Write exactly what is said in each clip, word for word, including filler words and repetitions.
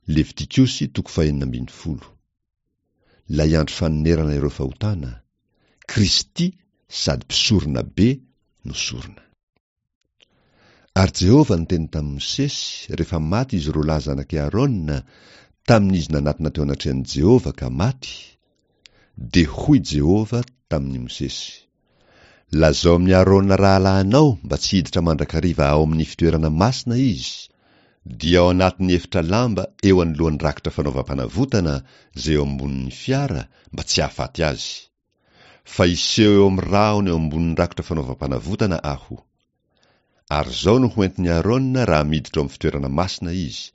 Levitikosy toko fahenina ambin'ny folo. Ilay andro fanonerana ireo fahotana, Kristy sady mpisorona be no sorona. Ary Jehovah niteny tamin'i Mosesy, rehefa maty izy roa lahy zanak'i Aarona, tamin'izy nanatona teo anatrehan'i Jehovah ka maty, dia hoy Jehovah tamin'i Mosesy, Lazao amin'i Aarona rahalahinao mba tsy hiditra mandrakariva ao amin'ny fitoerana masina izy, dia ao anatin'ny efitra lamba eo anoloan'ny rakitra fanaovam-panavotana izay eo ambonin'ny fiara mba tsy hahafaty azy. Fa hiseho eo amin'ny rahona eo ambonin'ny rakitra fanaovam-panavotana aho. Ary izao no hoentin'i Aarona raha miditra ao amin'ny fitoerana masina izy,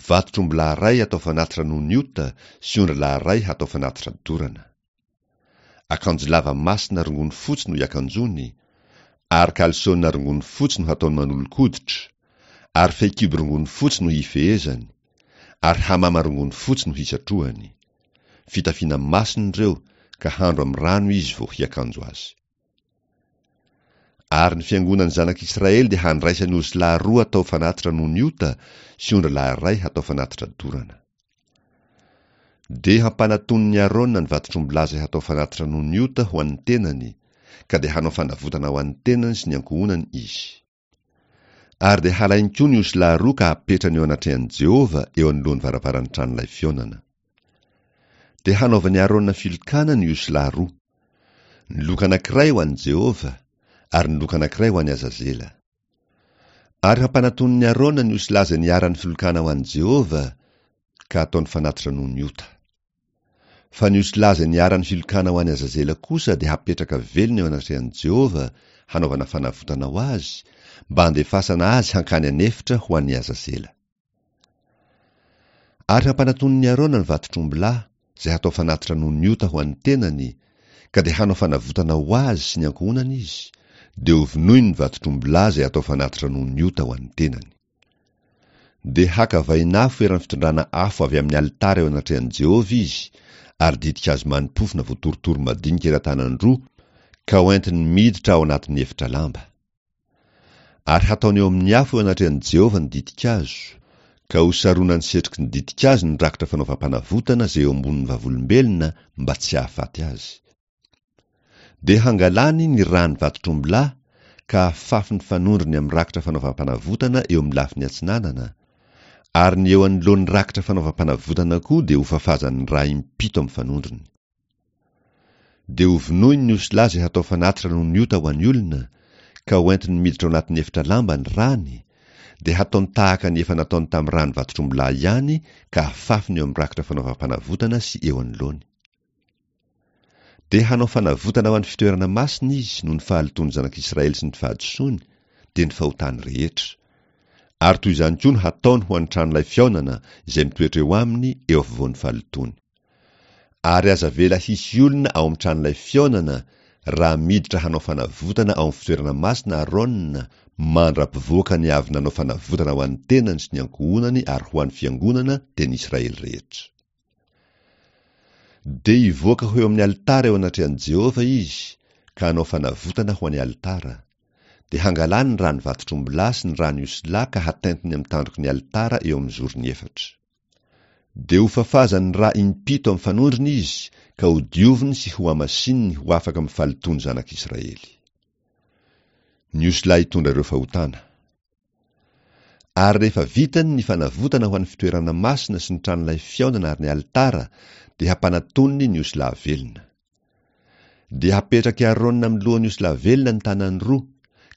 vatotr'ombilahy iray hatao fanatitra noho ny ota sy ondrilahy iray hatao fanatitra dorana. Akanjo lava masina rongony fotsy no hiakanjoany, ary kalsona rongony fotsy no hataony manolo-koditra, ary fehikibo rongony fotsy no hifehezany, ary hamama rongony fotsy no hisatrohany. Fitafiana masina ireo, ka handro amin'ny rano izy vao hiakanjo azy. Ary ny fiangonan'ny zanak'Israely dia handraisany osilahy roa hatao fanatitra noho ny ota sy ondrilahy iray hatao fanatitra dorana. Dia hampanatoniny Aarona ny vatotr'ombilahy izay hatao fanatitra noho ny ota ho an'ny tenany, ka dia hanao fanavotana ho an'ny tenany sy ny ankohonany izy. Ary dia halainy koa ny osilahy roa ka hapetrany eo anatrehan'i Jehovah eo anoloan'ny varavaran'ny tranolay fihaonana. Dia hanaovan'i Aarona filokana ny osilahy roa, ny loka anankiray ho an'i Jehovah ary ny loka anankiray ho an'i Azazela. Ary hampanatoniny Aarona ny osilahy izay niharan'ny filokana ho an'i Jehovah, ka hataony fanatitra noho ny ota. Fa ny osilahy izay niharan'ny filokana ho an'i Azazela kosa dia hapetraka velona eo anatrehan'i Jehovah hanaovana fanavotana ho azy, mba handefasana azy hankany an'efitra ho an'i Azazela. Ary hampanatoniny Aarona ny vatotr'ombilahy izay hatao fanatitra noho ny ota ho an'ny tenany, ka dia hanao fanavotana ho azy sy ny ankohonany izy, dia hovonoiny ny vatotr'ombilahy izay hatao fanatitra noho ny ota ho an'ny tenany. Dia haka vainafo eran'ny fitondrana afo avy amin'ny alitara eo anatrehan'i Jehovah izy, ary ditin-kazo mani-pofona voatorotoro madinika eran-tanan-droa, ka hoentiny miditra ao anatin'ny efitra lamba. Ary hataony eo amin'ny afo eo anatrehan'i Jehovah ny ditin-kazo, ka hosaronany setroky ny ditin-kazo ny rakitra fanaovam-panavotana izay eo ambonin'ny vavolombelona mba tsy hahafaty azy. Dia hangalany ny ràn'ny vatotr'ombilahy ka hafafy ny fanondrony amin'ny rakitra fanaovam-panavotana eo amin'ny lafiny atsinanana, ary ny eo anoloan'ny rakitra fanaovam-panavotana koa dia hofafazany rà impito amin'ny fanondrony. Dia hovonoiny ny osilahy izay hatao fanatitra noho ny ota ho an'ny olona, ka hoentiny miditra ao anatin'ny efitra lamba ny ràny, dia hataony tahaka ny efa nataony tamin'ny ràn'ny vatotr'ombilahy ihany ka hafafiny eo amin'ny rakitra fanaovam-panavotana sy eo anoloany. Dia hanao fanavotana ho an'ny fitoerana masina izy noho ny fahalotoan'ny zanak'Israely sy ny fahadisoany, dia ny fahotany rehetra. Ary toy izany koa no hataony ho an'ny tranolay fihaonana izay mitoetra eo aminy eo afovoan'ny fahalotoany. Ary aza avela hisy olona ao amin'ny tranolay fihaonana raha miditra hanao fanavotana ao amin'ny fitoerana masina Aarona mandra-pivoakany avy nanao fanavotana ho an'ny tenany sy ny ankohonany ary ho an'ny fiangonana dia ny Israely rehetra. Dia hivoaka ho eo amin'ny alitara eo anatrehan'i Jehovah izy ka hanao fanavotana ho an'ny alitara. Dia hangalany ny ràn'ny vatotr'ombilahy sy ny ràn'ny osilahy ka hatentiny amin'ny tandroky ny alitara eo amin'ny zorony efatra. Dia hofafazany rà impito amin'ny fanondrony izy ka hodioviny sy hohamasininy ho afaka amin'ny fahalotoan'ny zanak'Israely. Ny osilahy hitondra ireo fahotana. Ary rehefa vitany ny fanavotana ho an'ny fitoerana masina sy ny tranolay fihaonana ary ny alitara, dia hampanatoniny ny osilahy velona. Dia hapetrak'i Aarona amin'ny lohan'ny osilahy velona ny tanany roa,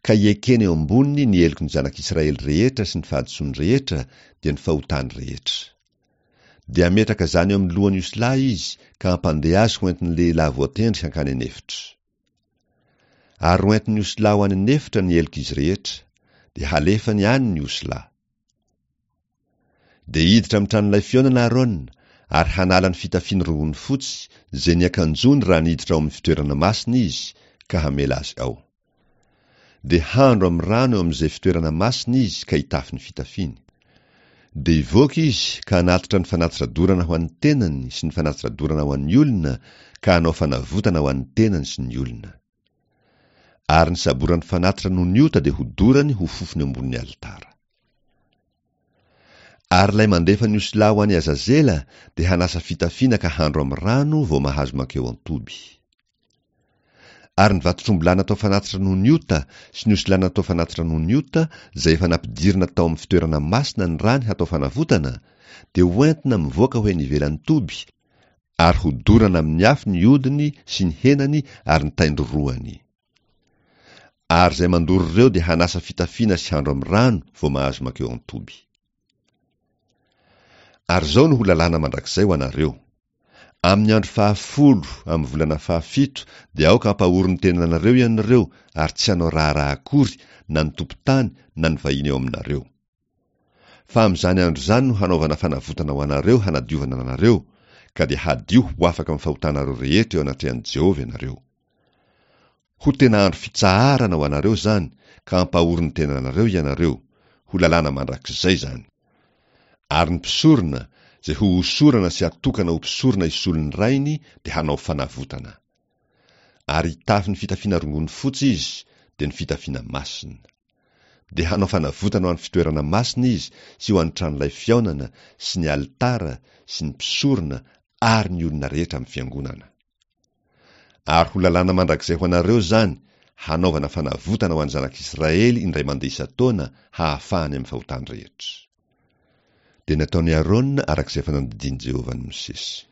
ka hiekena eo amboniny ny heloky ny zanak'Israely rehetra sy ny fahadisoany rehetra, dia ny fahotany rehetra. Dia hametraka izany eo amin'ny lohan'ny osilahy izy ka hampandeha azy hoentin'ny lehilahy voatendry hankany an'efitra. Ary hoentin'ny osilahy ho any an'efitra ny helok'izy rehetra, dia halefany any ny osilahy. Dia hiditra amin'ny tranolay fihaonana Aarona ary hanala ny fitafiany rongony fotsy izay niakanjoany raha niditra ao amin'ny fitoerana masina izy ka hamela azy ao. Dia handro amin'ny rano eo amin'izay fitoerana masina izy ka hitafy ny fitafiany. Dia hivoaka izy ka hanatitra ny fanatitra dorana ho an'ny tenany sy ny fanatitra dorana ho an'ny olona ka hanao fanavotana ho an'ny tenany sy ny olona. Ary ny saboran'ny fanatitra noho ny ota dia hodorany ho fofony ambonin'ny alitara. Ary ilay mandefa ny osilahy ho any Azazela dia hanasa fitafiana ka handro amin'ny rano vao mahazo mankeo an-toby. Ary ny vatotr'ombilahy natao fanatitra noho ny ota sy ny osilahy natao fanatitra noho ny ota, izay efa nampidirina tao amin'ny fitoerana masina ny rany hatao fanavotana, dia hoentina mivoaka ho eny ivelan'ny toby, ary hodorana amin'ny afo ny hodiny sy ny henany ary ny taindrorohany. Ary izay mandoro ireo dia hanasa fitafiana sy handro amin'ny rano vao mahazo mankeo an-toby. Ary izao no ho lalàna mandrakizay ho anareo. Amin'ny andro fahafolo amin'ny volana fahafito dia aoka hampahory ny tenanareo ianareo ary tsy hanao raharaha akory na ny tompon-tany na ny vahiny eo aminareo. Fa amin'izany andro izany no hanaovana fanavotana ho anareo hanadiovana anareo, ka dia hadio ho afaka amin'ny fahotanareo rehetra eo anatrehan'i Jehovah ianareo. Ho tena andro fitsaharana ho anareo izany, ka hampahory ny tenanareo ianareo, ho lalàna mandrakizay izany. Ary ny mpisorona, izay ho hosorana sy hatokana ho mpisorona hisolo ny rainy, dia hanao fanavotana. Ary hitafy ny fitafiana rongony fotsy izy, dia ny fitafiana masina. Dia hanao fanavotana ho an'ny fitoerana masina izy sy ho an'ny tranolay fihaonana sy ny alitara sy ny mpisorona ary ny olona rehetra amin'ny fiangonana. Ary ho lalàna mandrakizay ho anareo izany, hanaovana fanavotana ho an'ny zanak'Israely indray mandeha isan-taona hahafahany amin'ny fahotany rehetra. Dia nataon'i Arona araka izay efa nandidian'i Jehovah an'i Mosesy.